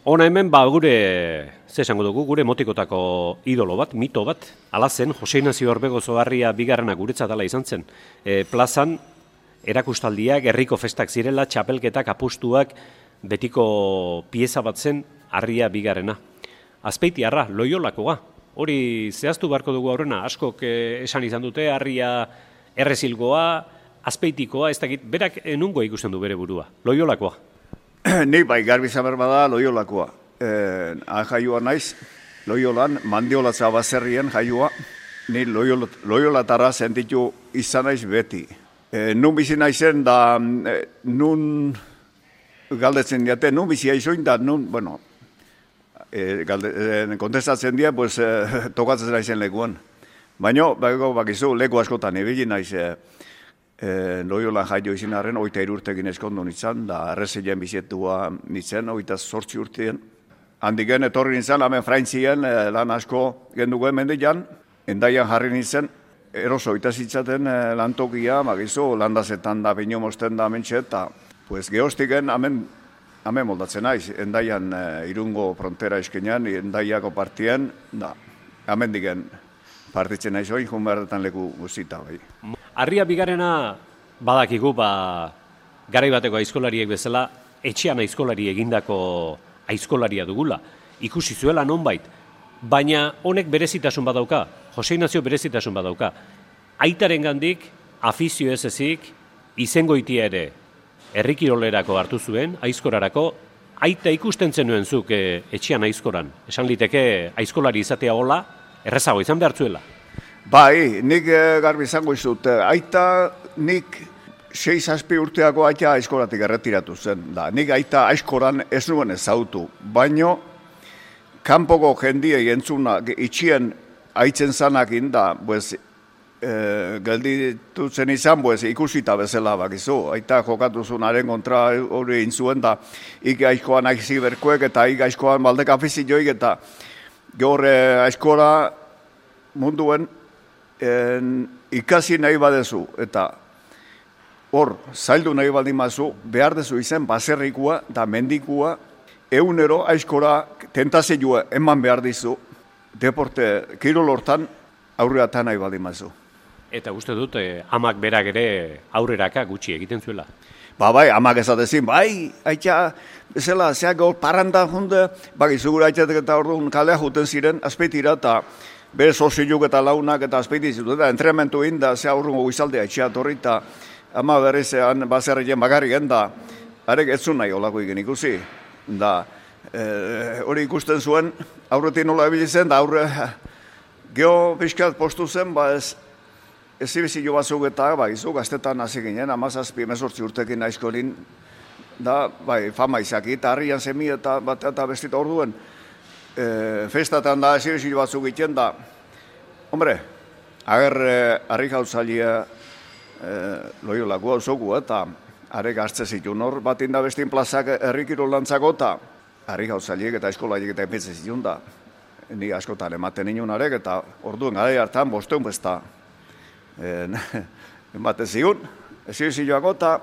Hona hemen gure, ze esango dugu, gure motikotako idolo bat, mito bat, ala zen, Jose Inazio Orbegozoarria bigarrena guretzat ala izan zen. Plazan, erakustaldiak, herriko festak zirela, txapelketak, apustuak, betiko pieza bat zen, Harria bigarrena. Azpeitiarra, Loiolakoa, hori zehaztu beharko dugu aurrena, askok esan izan dute, Harria errezilgoa, Azpeitikoa, ez dakit, berak nungo ikusten du bere burua, Loiolakoa. Ni bai, garbi zaber bada Loiolakoa. Jaioa naiz, Loiolan, Mandiolatza baserrien jaioa, ni Loiolatara sentitu izan naiz beti. Nun bizi naizen da, nun galdetzen diate, nun bizi aizoin da, nun, bueno, kontestatzen dira, pues, tokatzen naizen lekuan. Baina, bakizu, leku askotan ibili naiz, Loiolan jaio izin arren, 23 urtekin eskondu nintzen, da errezilen bizetua nintzen, 28 urtean. Handiken etorri nintzen, hemen Frantzian, lan asko genduen mendian, endaian jarri nintzen, eroso itazitzaten lantokia, bakizu, landazetan da, bino mosten da, mentxe, eta pues, geostiken hemen moldatzen naiz, endaian irungo frontera eskenean, endaiako partien, da, hemen digen partitzen naiz hori, junberdetan leku guztita, bai. Harria bigarrena badakigu, garai bateko aizkolariek bezala, etxean aizkolari egindako aizkolaria dugula. Ikusi zuela nonbait, baina honek berezitasun badauka, Jose Inazio berezitasun badauka. Aitaren gandik, afizio ez ezik, izengoitia ere herrikirolerako hartu zuen, aizkorarako, aita ikusten zenuen zuk etxean aizkoran. Esan liteke aizkolari izatea hola, errezago izan behar zuela. Bai, nik garbi izango izut, aita nik 6-7 urteako aita aizkoratik erretiratu zen. Da, nik aita aizkoran ez nuen ezautu, baino kanpoko jendiei entzuna itxien aitzen zanakin da, pues, gelditutzen izan, pues, ikusita bezala bakizu. Aita jokatu zunaren kontra hori intzuen da, ik aizkoan aizi berkoek eta ik aizkoan baldeka afizioik eta gaur aizkora munduen ikasi nahi badezu eta hor zaildu nahi baldin mazu, behar dezu izen baserrikua da mendikua egunero aizkora tentazioa eman behar dizu deporte kirolortan aurreatan nahi baldin mazu. Eta uste dut, amak berak ere aurreraka gutxi egiten zuela. Bai, amak ezatezin, bai, aitza, bezala, zeak gaur parranda junde, izugur aitzatek eta orduan kalea juten ziren, azpeitira, eta bere soziluk eta launak eta azpeiti zitu, eta entrementu inda, zea urrungo guizaldea etxea torri, eta ama berrizean baserrien bakarrik da, arek ez zuen nahi olako egin ikusi, da, hori ikusten zuen, aurretik nola ebili zen, da aurre, geho pixkat postu zen, ez zibizio batzuk eta, izu, gaztetan hasi ginen, 17-18 urtekin aizkorin, da, fama izaki, eta harrian zemi eta bat eta bestita orduen, festatan da, ez zibizio batzuk egiten da, hombre, ager harri gautzalia Loiolako hauzoku eta harek hartze zituen hor, bat inda bestin plazak herrikiro lantzako eta harri gautzaliek eta eskolaiek eta enpetze zituen da, ni askotan ematen inun harek eta orduen gara hartan bosteun besta, ematen zigun, ez zioako eta,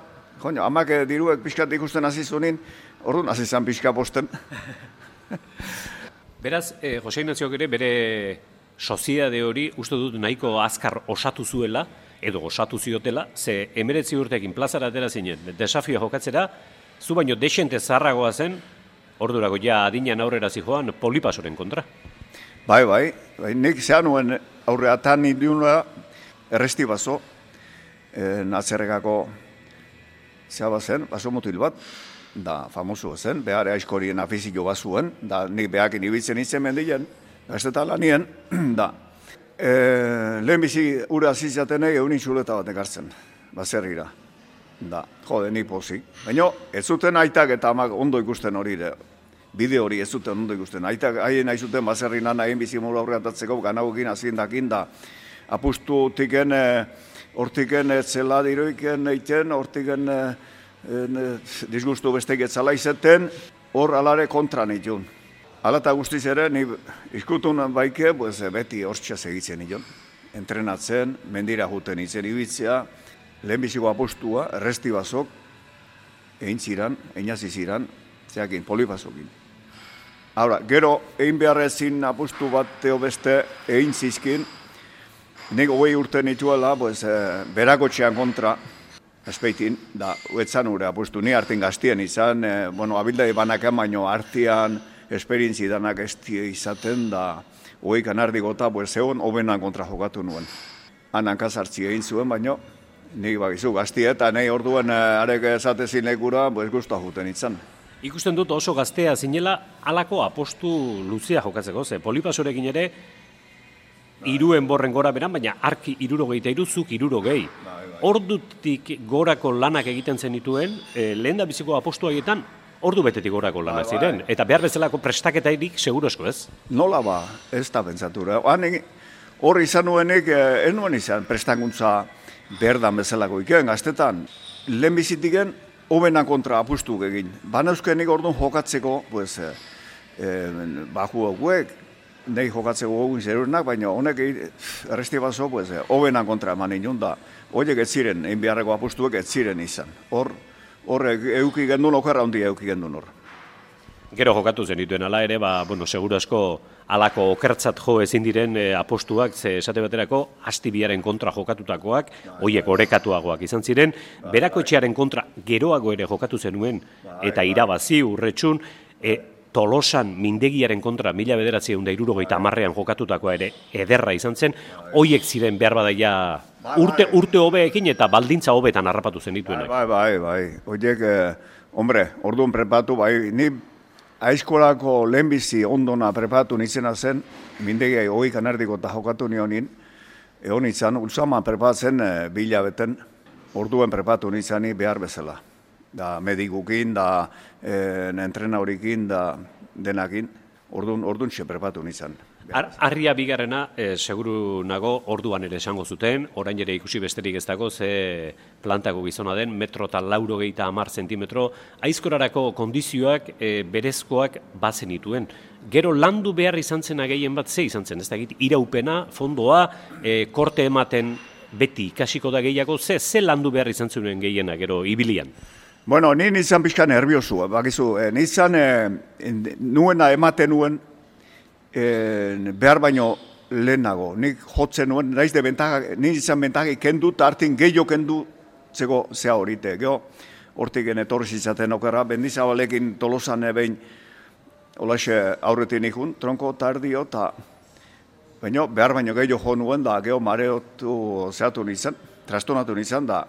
amak diruek pixkat ikusten hasi zunin, orduan hasi zan pixka bosten. Beraz, Jose Inaziok ere bere soziedade hori uste dut nahiko azkar osatu zuela, edo osatu ziotela, ze 19 urtekin plazara atera zinen, desafioa jokatzera, zu baino desente zaharragoa zen, ordurako ja adinean aurrera zijoan Polipasoren kontra. Bai, nik zean nuen aurreatan indiunua, erresti bazo, natzerrekako zea bazen, baso mutil bat, da famosu zen, behar aizkorien afizio bazuen, da nik behakin ibitzen itzen mendilen, gazteta lanien, da. Lehenbizi ura zizatenei eunin txuleta bat ekartzen, baserrira, da, jode, nik pozik. Baina ez zuten aitak eta amak ondo ikusten hori, bide hori ez zuten ondo ikusten. Aitak haien nahi zuten baserrinan haien bizimolu aurreatatzeko ganagokin azindakin da, apustu tiken, hortiken zela diroiken eiten, hortiken disgustu bestek etzala izeten, hor alare kontra nitun. Alata guztiz ere, ni izkutun baike, beti hortxas egitzen nion. Entrenatzen, mendira juten itzen ibitzea, lehenbiziko apostua, erresti bazok, egin ziran, einazi ziran, zeakin, Polipasokin. Ahora, gero, egin beharrezin apustu bat teo beste egin zizkin, nik 20 urte nituela, pues, berakotxean kontra, espeitin, da, uetzan ure apustu, ni hartin gaztien izan, abildai banaken, baino hartian, esperientzi danak estie izaten, da, 20 kanardigota, pues, egon, hobenan kontra jokatu nuen. Han hankazartzi egin zuen, baino, nik bakizu gaztie, eta nahi orduan arek esatezin lekura, pues, guztua juten izan. Ikusten dut oso gaztea zinela, halako apostu luzea jokatzeko, ze Polipasorekin ere, iruen borren gora beran, baina arki 63, zuk 60. Ordutik gorako lanak egiten zenituen, lehen da biziko apostu haietan, ordu betetik gorako lanak ziren. Eta behar bezalako prestaketairik segurozko ez? Nola ba, ez da pentsatura. Hor izan nuenik, ez nuen izan prestakuntza berdan bezalako ikeen gaztetan. Lehen bizitiken, hobenan kontra apustu egin. Banauzkenik orduan jokatzeko, pues, baju hauek, nahi jokatzeko gogun zerurenak, baina honek erresti bazo, pues, hobenan kontra eman inun da. Horiek ez ziren, egin beharreko apustuek ez ziren izan. Hor euki gendun, okerra hondi euki gendun hor. Gero jokatu zenituen ala ere, seguru asko alako okertzat jo ezin diren apostuak, ze esate baterako Astibiaren kontra jokatutakoak, hoiek orekatuagoak izan ziren, Berakotxearen kontra geroago ere jokatu zenuen, eta irabazi urretxun, Tolosan Mindegiaren kontra 1970an jokatutakoa ere ederra izan zen, hoiek ziren behar badaia urte hobeekin eta baldintza hobetan harrapatu zenituenak. Bai. Hoiek, orduan prepatu, ni aizkolako lehenbizi ondona prepatu nintzena zen, Mindegiai 20 kanardiko eta jokatu nionin, egon nintzen, ultzama prepatzen bilabeten, orduen prepatu nintzani behar bezala. Da medikukin, da entrenaurikin, da denakin, orduan prepatu nintzen. Arria bigarrena, seguru nago, orduan ere esango zuten, orain ere ikusi besterik ez dago, ze plantako gizona den, 1,80 zentimetro, aizkorarako kondizioak berezkoak bazen dituen. Gero landu behar izan zen gehien bat, ze izan zen, ez dakit, iraupena, fondoa, korte ematen beti ikasiko da gehiago, ze landu behar izan zuen gehiena, gero, ibilian? Bueno, ni nintzen pixka nerviosu, bakizu, nintzen nuena ematen nuen, behar baino lehenago. Nik jotzen nuen, naiz de bentaga, nintzen bentaga kendu, eta hartin gehiago kendu zego zea horite. Gero, hortik etorriz izaten okera, Bendizabalekin Tolosan behin, holaxe aurretin ikun, tronko tardio, eta behar baino gehiago jo nuen, da gero mareotu zehatu nintzen, trastonatu nintzen, da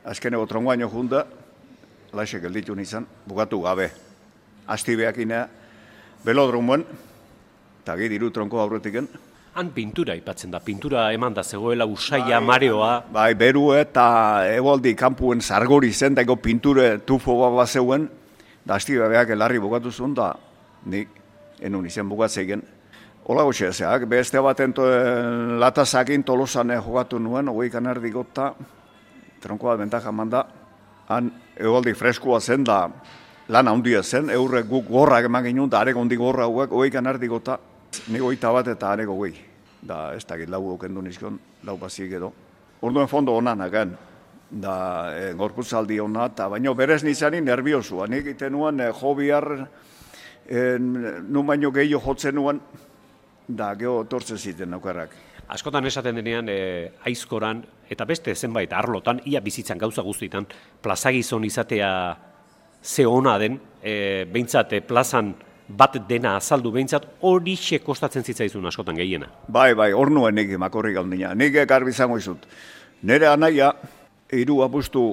azkeneko tronkoaino junda, holaxe gelditu nintzen, bukatu gabe. Astibeakina, belodromuen, eta diru tronko aurretiken. Han pintura ipatzen da, pintura eman da zegoela usaia, mareoa. Bai, beru eta egualdi kanpuen zargori zen, dago pinture tufo bat zeuen, da Astibeak elarri bukatu zuen, da nik enun izen bukatzeigen. Hola gotxe ezeak, beste baten latazakin Tolosan jokatu nuen, 20 kanardikota, tronko bat bentaja eman da, han egualdi freskua zen, da lan handia zen, eurrek guk gorrak eman ginen, da arek ondik gorra hauek, 20 kanardikota, nik 21 eta areko 20. Da, ez dakit lau okendu nizkion, lau bazik edo. Orduen fondo honanak, da gorputzaldi hona, eta baino berez nizani nerviosua. Nik iten nuen jo bihar, nun baino gehiago jotzen nuen, da geho tortzen ziten aukerrak. Askotan esaten denean, aizkoran, eta beste zenbait arlotan, ia bizitzan gauza guztietan, plazagizon izatea ze ona den, behintzat plazan bat dena azaldu behintzat, horixe kostatzen zitzaizun askotan gehiena. Bai, hor nuen nik makorrik handina. Nik garbi izango izut. Nere anaia, 3 apustu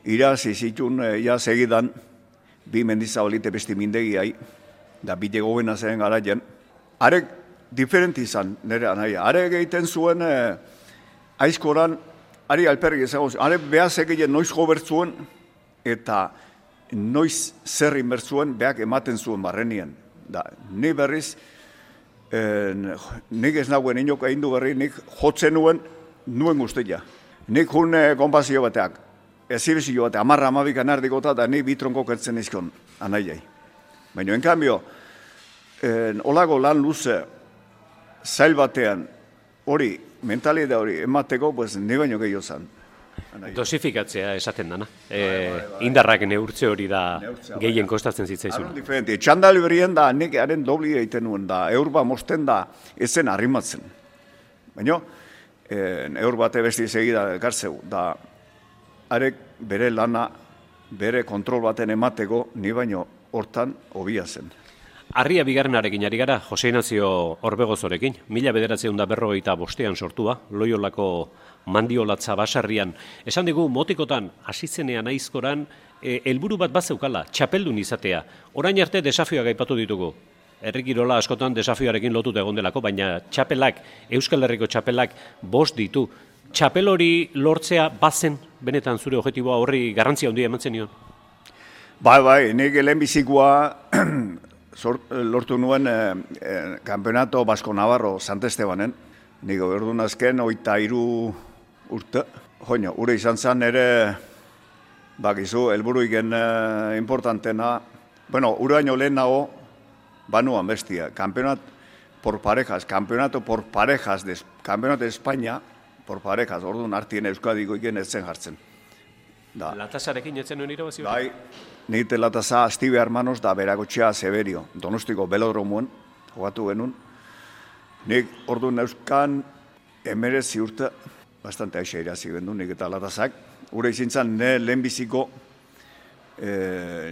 irazi zitun segidan, 2 Mendizabalite besti Mindegiai, da bide gobena zen garaien. Arek diferenti izan nere anaia. Arek egiten zuen aizkoran, ari alperrik ezagoz, arek behaz egiten noiz gobertzuen, eta noiz zer inbertzuen behak ematen zuen barrenien. Da, ni berriz, nik ez naguen inok egin du berri, nik jotzen nuen guztia. Nik jun konpazio bateak, ezibizio bateak, 10-12 kanardikota, da ni bitronko kertzen izkion anaiai. Baina, en cambio, olago lan luze, zail batean, hori, mentalidea hori emateko, pues, ni baino gehiago zan. Dosifikatzea esaten dana. Indarrak neurtze hori da gehien kostatzen zitzaizun. Diferente. Txandali berrien da, nik haren dobli egiten nuen da, eurba mosten da, ezen arrimatzen. Baina, eur bate besti segida ekartzeu, da, arek bere lana, bere kontrol baten emateko, ni baino hortan hobia zen. Arria bigarrenarekin ari gara, Jose Inazio Orbegozorekin, 1945 sortua, Loiolako mandiolatza basarrian. Esan digu, motikotan, hasizenean aizkoran, helburu bat bazeukala, txapeldun izatea. Orain arte desafioak aipatu ditugu. Herrikirola askotan desafioarekin lotuta egon delako, baina txapelak, Euskal Herriko txapelak 5 ditu. Txapel hori lortzea bazen, benetan zure objektiboa horri garrantzia handia emantzen nion? Bai, nik lehenbizikoa lortu nuen Campeonato Basko Navarro Sant Estebanen. Nik ordun azken 23 urte. Joño, ure izan zen ere, bakizu, helburuiken importantena. Bueno, uraino lehenago, banuan bestia. Campeonato por parejas Campeonato de España, por parejas, orduan artien Euskadiko iken etzen jartzen. Latasarekin etzen nuen irabazi? Bai, nite latasa Astibe Hermanos da Berakotxea Severio, Donostiko belodromoen, jogatu genuen. Nik orduan euskan 19 urte, bastante aixa irazi bendu, nik eta latasak. Ure izintzan ne lehenbiziko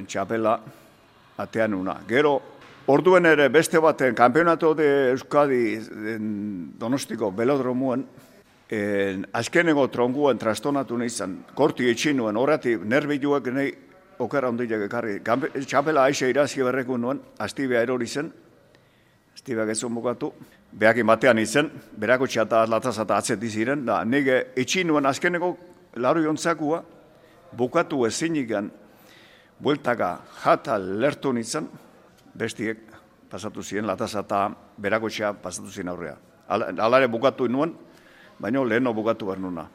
txapela atean una. Gero, orduen ere beste baten, Campeonato de Euskadi Donostiko belodromoen, azkeneko tronguen trastonatu nizan, korti etxinuen, horretik nerbiduak nahi okera ondileak ekarri. Txapela aixa irazi berreku nuen, Astibea erori zen, Astibeak ez bukatu, behakin batean izen, Berakotxea eta latazata atzeti ziren, da nire etxinuen azkeneko laru jontzakua, bukatu ezinikan, bueltaka jata lertu nintzen, bestiek pasatu ziren, latazata Berakotxea pasatu ziren aurrea. Alare bukatu nuen, baina leheno bukatu behar nuna.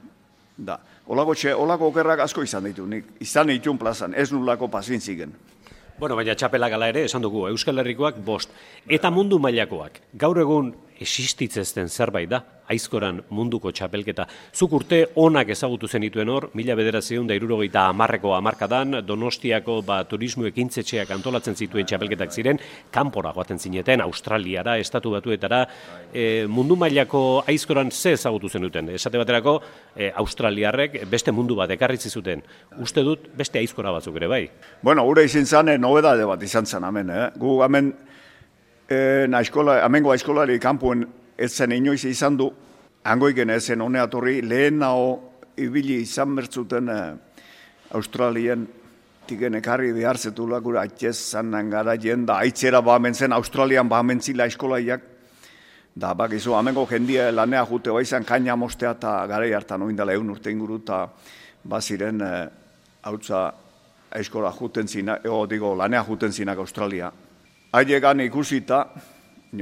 Olako okerrak asko izan ditu, nik izan ditun plazan, ez nulako pasintzigen. Bueno, baina txapelak ala ere, esan dugu, Euskal Herrikoak 5. Eta mundu mailakoak. Gaur egun existitzezten zerbait da, aizkoran munduko txapelketa. Zuk urte onak ezagutu zenituen hor, 1970ko hamarkadan, Donostiako turismo ekintzetxeak antolatzen zituen txapelketak ziren, kanpora joaten zineten, Australiara, Estatu Batuetara, mundu mailako aizkoran ze ezagutu zenuten. Esate baterako, Australiarrek beste mundu bat ekarritzi zuten. Uste dut beste aizkora batzuk ere bai. Bueno, ure izin zan, nobedade bat izan zen hemen. Gu hemen, amengo aizkolari kanpuen etzen inoiz izan du, hangoiken ezen honeatorri, lehenao ibili izan bertzuten Australien tiken ekarri behartzetula gura atxez zanen gara jenda, aitzera bamentzen, Australian bamentzila aizkolaiak, da bakizu, amengo jendia lanea jute baizan kaina mostea eta garai hartan oindala 1 urte inguru eta baziren hautza aizkola juten zinak, lanea juten zinak Australia. Haiegan ikusita,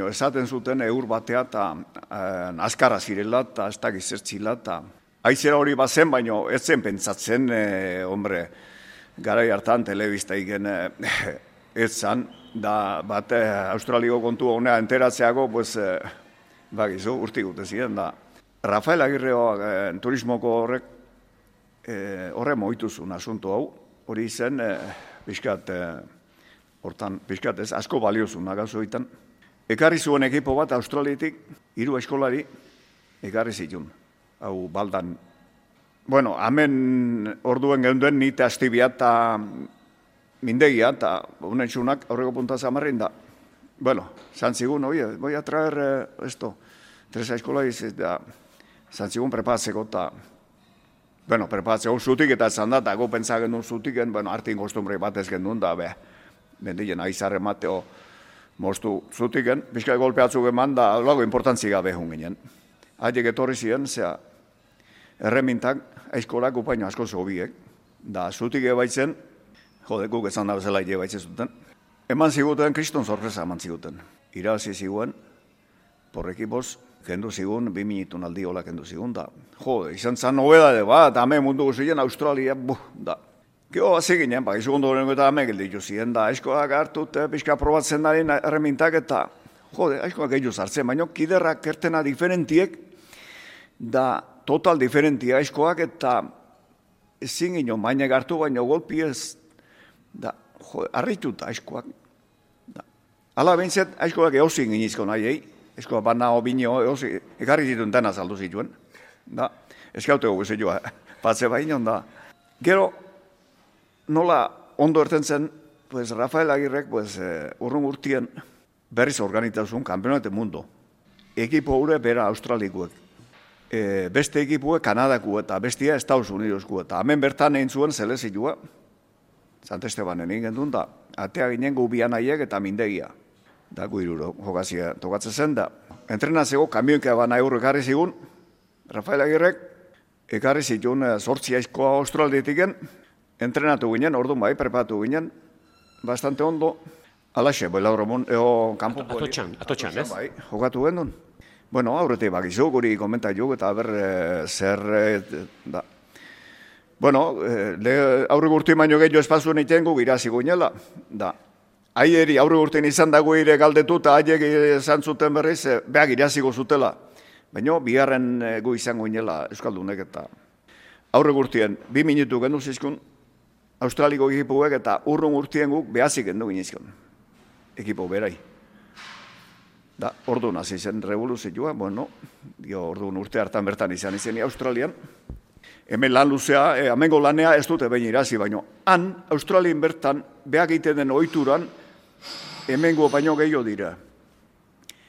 esaten zuten eur batea eta azkarra zirela eta ez da gizertzila eta aizera hori bazen, baina ez zen pentsatzen, garai hartan telebista igen ez zan, da bat Australiko kontu honea enteratzeago, bakizu, urtik gute ziren, da Rafael Agirreoa turismoko horre moituzun asunto hau, hori zen, Piskat ez, asko baliozun nagazu egiten. Ekarri zuen ekipo bat Australiatik, 3 eskolari ekarri zitun. Hau baldan. Bueno, hemen orduen geunden nite Astibia eta mindegia, eta unentxunak aurreko puntaz amarrin da. Bueno, zantzigun, voy a traer esto, 3 eskolariz, eta zantzigun prepatzeko, eta bueno, prepatzeko zutik eta zan da, eta go pentsagen duen zutiken, bueno, artin kostumbre bat ez gendun da, bendien aizarre mateo moztu zutiken, pixka golpeatzuk eman da, lago importantzi gabe hun ginen. Haiek etorri ziren, erremintak aizkolak upaino asko zobiek, da zutik ebaitzen, guk ezan da bezala ebaitzen zuten, eman ziguten, kriston sorpresa eman ziguten. Irazi ziguen, porrekipoz, kendu zigun, 2 minitun aldi hola kendu zigun, da, izan zan nobedade bat, hame mundu guztien Australia, da. Gero hazi ginen, izu gondo horrengo eta hame gelditu ziren, da, aizkoak hartut, pixka probatzen dari erremintak eta, aizkoak gehiago zartzen, baina kiderrak kertena diferentiek, da, total diferentia aizkoak eta ezin gino, mainek hartu baino golpi ez, da, harrituta aizkoak. Hala behintzat, aizkoak eozin ginizko nahi, aizkoak bana obinio eozin, ekarri zituen dena saldu zituen. Da, eskauteko guzioa, patze baino, da. Gero, nola ondo erten zen, pues Rafael Agirrek, pues, urrun urtien berriz organizazun Campeonato Mundo. Ekipo hurre bera australikuek. Beste ekipuek Kanadaku eta bestia Estados Unidosku. Eta hemen bertan egin zuen zelezioa, Sant Estebanen egin duen da, atea ginen gubian aiek eta mindegia. Da guiruro jokazia tokatzen zen da. Entrenazio kamionkea bana eurro ekarri zigun, Rafael Agirrek, ekarri zituen 8 aizkoa australditiken, entrenatu ginen, orduan bai, prepatu ginen, bastante ondo, alaxe, Belauromon, kanpo poli. Atotxan, ez? Bai, jokatu gendun. Bueno, aurretik bakizu, guri komentaiuk eta ber zer, da. Bueno, aurre gurtu baino gehiago espazuen egiten gu irazi guinela, da. Aieri aurre gurtien izan dago ire galdetu eta haiek izan zuten berriz, behak iraziko zutela. Baina, bigarren gu izango inela Euskaldunek eta aurre gurtien 2 minutu gendu zizkun, Australiko ekipuek eta urrun urtien guk behazik gendu ginezkun. Ekipo berai. Da, orduan hasi zen revoluzioa, bueno, orduan urte hartan bertan izan izeni Australian. Hemen lan luzea, amengo lanea ez dute behin irazi, baino han, Australien bertan, behak egiten den ohituran, hemengo baino gehiago dira.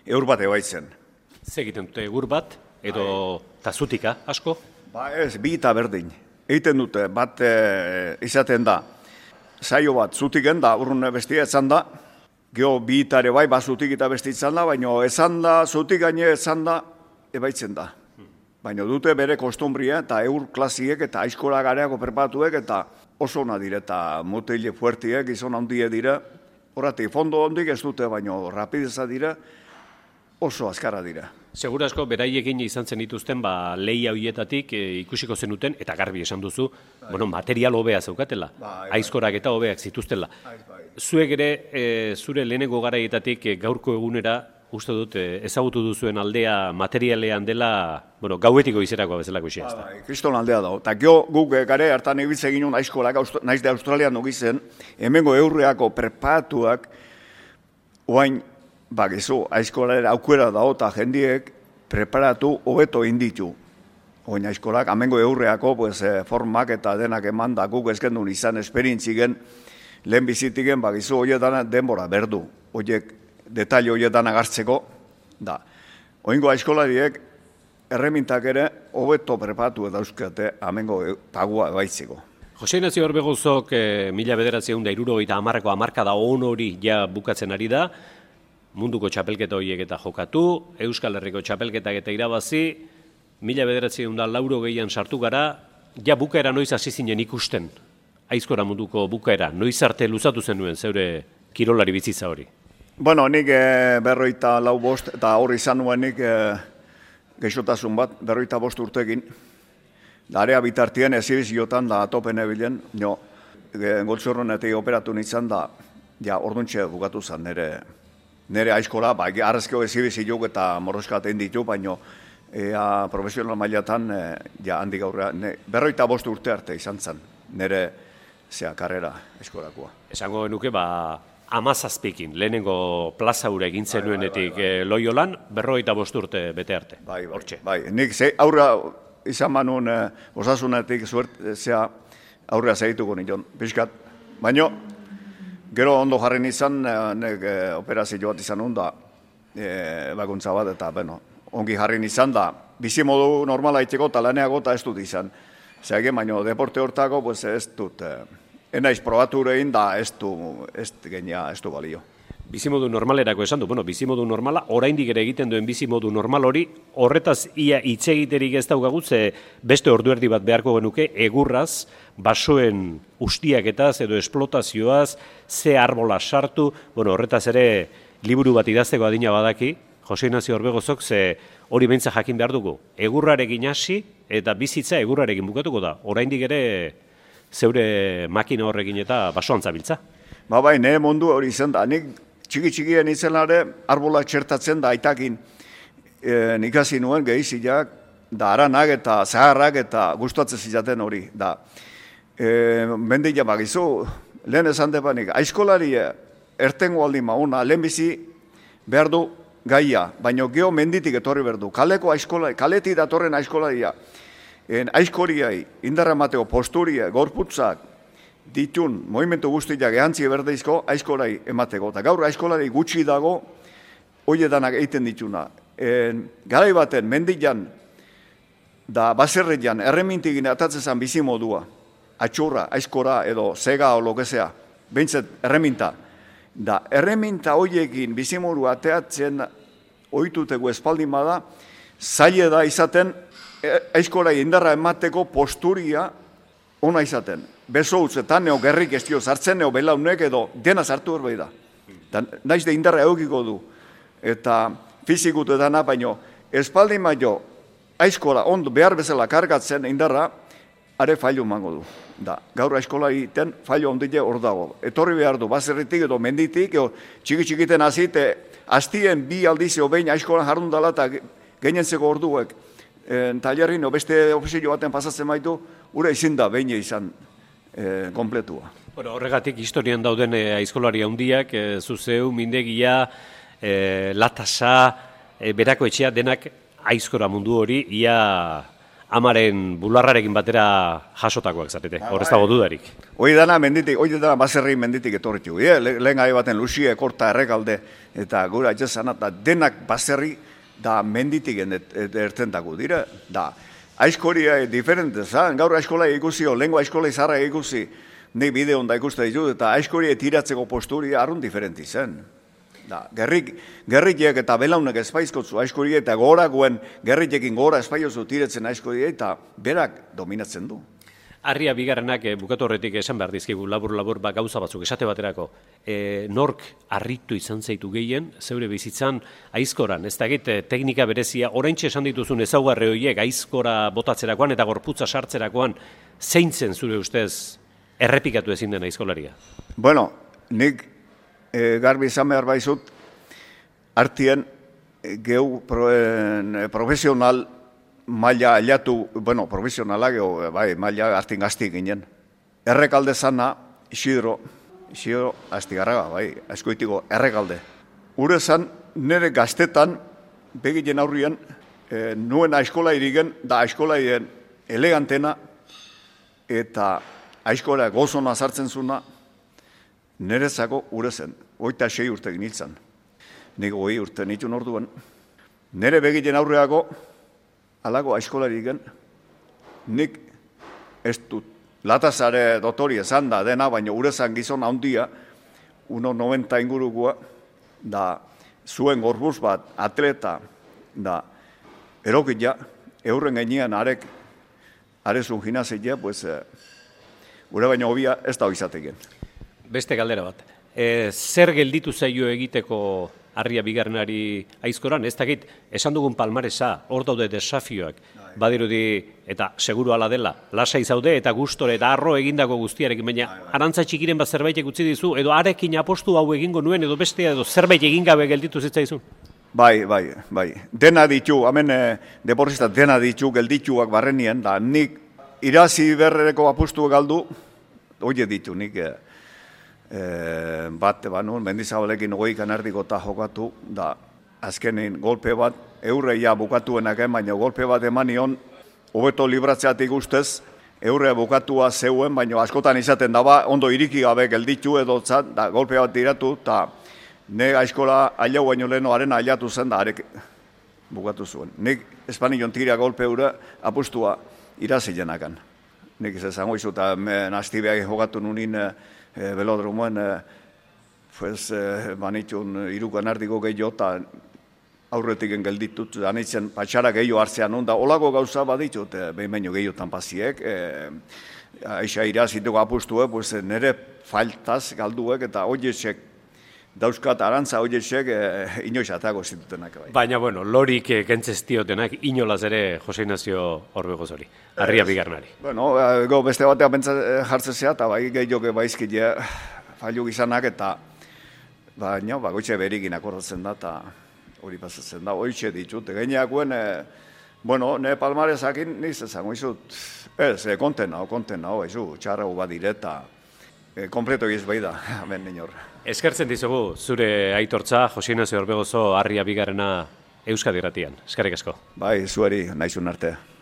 Eur bat ebaitzen. Ze egiten dute egur bat, edo tazutika, asko? Ba ez, bi eta berdin. Egiten dute, bat izaten da, saio bat zutiken da, urrun bestia etzan da, geho bi itare bai, bat zutik eta besti izan da, baina ezan da, zutik gaine ezan da, ebaitzen da. Baina dute bere kostumbria eta eur klasiek eta aizkola gareako prepatuek eta oso ona dire eta motile fuertiek, izan handie dira, horretik fondo hondik ez dute, baina rapideza dira, oso azkarra dira. Segura asko, beraiekin izan zen dituzten, lehia horietatik ikusiko zenuten, eta garbi esan duzu, bueno, material hobea zeukatela, aizkorak eta hobeak zituztela. Zuek ere, zure lehenengo garaietatik gaurko egunera, uste dut, ezagutu duzuen aldea materialean dela, bueno, gauetiko izerako bezalako isia. Kriston aldea da. Eta gio guk gare hartan egitzen ginen aizkolak, naiz de Australian nugizen, hemengo eurreako prepatuak, oain, bakizu, aizkolera aukera da eta jendiek preparatu hobeto inditu. Oin aizkolak, amengo eurreako pues, formak eta denak eman da guk ezkendun izan esperientzigen lehen bizitigen bakizu horietan denbora berdu. Horiek detalle horietan agartzeko, da. Oingo aizkolariek erremintak ere hobeto preparatu eta euskate amengo pagua baitzeko. Jose Ignacio Orbegozok 1970ko hamarkada on hori ja bukatzen ari da, munduko txapelketa horiek eta jokatu, Euskal Herriko txapelketak eta irabazi, 1980an sartu gara, ja bukaera noiz hasi zinen ikusten, aizkora munduko bukaera, noiz arte luzatu zenuen zeure kirolari bizitza hori? Bueno, nik 54 eta hori izan nuen nik geixotasun bat, 55 urtekin, area bitartien ezibiziotan da topen ebilen, goltzorronetik operatu nintzen da, ja orduntxe bukatu zen nire aizkola, arrezkeo ezibizioak eta morroskaten ditu, baina profesional mailatan handik aurrera, 55 urte arte izan zen, nire karrera aizkolakoa. Esango genuke, 17ekin, lehenengo plaza hura egin zenuenetik Loiolan, 55 urte bete arte. Bai, nik aurra izan manun osasunetik aurrea segituko nion, pixkat. Baina, gero ondo jarri izan, operazio bat izan da, bakuntza bat, eta ongi jarri izan da, bizimodu normala itxeko eta laneago eta ez dut izan. Zergen, baina deporte hortako ez dut, enaiz probatu egin da ez du balio. Bizimodu normalerako esan du, bizimodu normala, oraindik ere egiten duen bizimodu normal hori, horretaz ia hitz egiterik ez daukagu, ze beste ordu erdi bat beharko genuke, egurraz, basoen ustiaketaz edo esplotazioaz, ze arbola sartu, horretaz ere liburu bat idazteko adina badaki, Jose Ignacio Orbegozok, ze hori beintza jakin behar dugu, egurrarekin hasi eta bizitza egurrarekin bukatuko da, oraindik ere zeure makina horrekin eta basoan zabiltza. Bai, nire mundu hori izan da, nik txiki-txikien izenare arbola txertatzen da aitakin ikasi nuen gehiziak, da aranak eta zaharrak eta gustatzen zizaten hori. Da, Mendila bagizu, lehen esan depanik, aizkolari ertengo aldi mauna, lehenbizi behar du gaia, baina geho menditik etorri behar du. Kaleko aizkolari, kaletik datorren aizkolaria, aizkoriai, indarra mateo posturia, gorputzak, ditun, movimentu guztiak ehantzi berdeizko aizkolari emateko. Eta gaur aizkolari gutxi dago, hoiedanak egiten dituna. Garai baten, mendilan, da baserrean, erremintigin atatzezan bizi modua, atxurra, aizkora edo zega o lokezea, behintzat erreminta. Da, erreminta hoiekin bizimodu ateatzen ohituteko espaldin bada, zaila da izaten aizkora indarra emateko posturia ona izaten. Beso utzetan neo gerrik ez dio sartzen neo belaunek edo dena sartu horbei da. Naiz de indarra eukiko du. Eta fizikutu edana, baino espaldin baino aizkora ondo behar bezala kargatzen indarra, are fallo mango du. Da, gaur aizkola egiten fallo ondile hor dago. Etorri behar du, baserritik edo menditik, edo txiki-txikiten azite, hastien bi aldizio behin aizkola jarrun dala eta gainentzeko orduek. Tailerrin, beste ofizio baten pasatzen baitu, ura izin da behin izan kompletua. Bueno, horregatik historian dauden aizkolari handiak, zuzeu, mindegia, latasa, berako etxea denak aizkora mundu hori, ia amaren bularrarekin batera jasotakoak zarete, hor ez dago dudarik. Hoi dana baserri menditik etorritu. Lehen gai baten Luxie, Korta, Errekalde, eta gura etxezan, eta denak baserri da menditik ertentako dira. Da, aizkoria diferente, gaur aizkola ikusi, lehenko aizkola izarra ikusi, nik bideon da ikuste ditut, eta aizkoria tiratzeko posturia arrun diferenti zen. Da, gerrikiek eta belaunek espaizkotzu aizkoria eta goragoen gerrikekin gora espaiozu tiretzen aizkoria eta berak dominatzen du. Arria bigarrenak bukatu horretik esan behar dizkigu labur-labur gauza batzuk esate baterako. Nork harritu izan zaitu gehien, zeure bizitzan aizkoran, ez da teknika berezia, oraintxe esan dituzun ezaugarri horiek aizkora botatzerakoan eta gorputza sartzerakoan zeintzen zure ustez errepikatu ezin den aizkolaria? Bueno, nik garbi izan behar baizut, artien geu profesional maila aliatu, bueno, profesionala geu, bai, maila artin gazti ginen. Errekalde zana, Isidro Astigarraga, bai, aizkoitiko Errekalde. Ure zan, nire gaztetan, begiten aurrien, nuen aizkola irigen, da aizkola irigen elegantena, eta aizkola gozona sartzen zuna, nerezako ure zen, 26 urte ginitzen. Nik 20 urte nituen orduan. Nere begiten aurreako, alago aizkolari gen, nik ez dut, latazare dotori esan da dena, baina ure zen gizon handia, 1,90 ingurukoa, da zuen gorbuz bat, atleta, da erokila, eurren gainean arezun ginazia, pues, ure baina hobia ez da izateken. Beste galdera bat. Zer gelditu zaio egiteko Arria bigarrenari aizkoran? Ez dakit, esan dugun palmaresa, hor daude desafioak, badirudi, eta seguru ala dela, lasai zaude eta gustore eta arro egindako guztiarekin, baina arantza txikiren bat zerbait utzi dizu, edo arekin apostu hau egingo nuen, edo bestea, edo zerbait egin gabe gelditu zitzaizun? Bai. Dena ditu, hemen deportista dena ditu, geldituak barrenien, da nik irazi berrereko apostu galdu, oie ditu, nik bat, Mendizabalekin 20 erdiko eta jokatu, da azkenin golpe bat, eurreia bukatuenak baina golpe bat emanion, hobeto libratzeatik ustez, eurrea bukatua zeuen, baina askotan izaten daba, ondo iriki gabe gelditu edo zat, da golpe bat diratu, eta ne aizkola ailau baino leheno arena ailatu zen, da arek bukatu zuen. Nik espanion tira golpe eure apustua irazilenakan. Nik ez zango izu, eta nastibeak jokatu nunin belodromoen, manitxun irukan erdiko gehiago, eta aurretik gelditut, anitzen patxara gehiago hartzean onda, olako gauza baditut, behin baino gehiotan paziek, aixa irazituko apustue, nire faltaz galduek, eta hoiesek, dauzkat arantza hoiesek inoiz atago zitutenak. Baina, bueno, lorik kentzestiotenak inolaz ere Jose Ignacio Orbegoz hori, Arria bigarrenari. Bueno, beste batea pentsa jartzezea, eta bai gehiago baizkile fallu gizanak, eta baina, goitxe berikin akordatzen da, eta hori pasatzen da, hoitxe ditut. Gaineakuen Bueno, ne palmarezakin niz ezango izut, ez, konten nao, izu, txarra bat direta, kompleto egiz bai da, hemen inor. Eskertzen dizugu, zure aitortza, Jose Ignacio Orbegozo Harria bigarrena Euskadi Irratian. Eskerrik asko. Bai, zuari, naizun arte.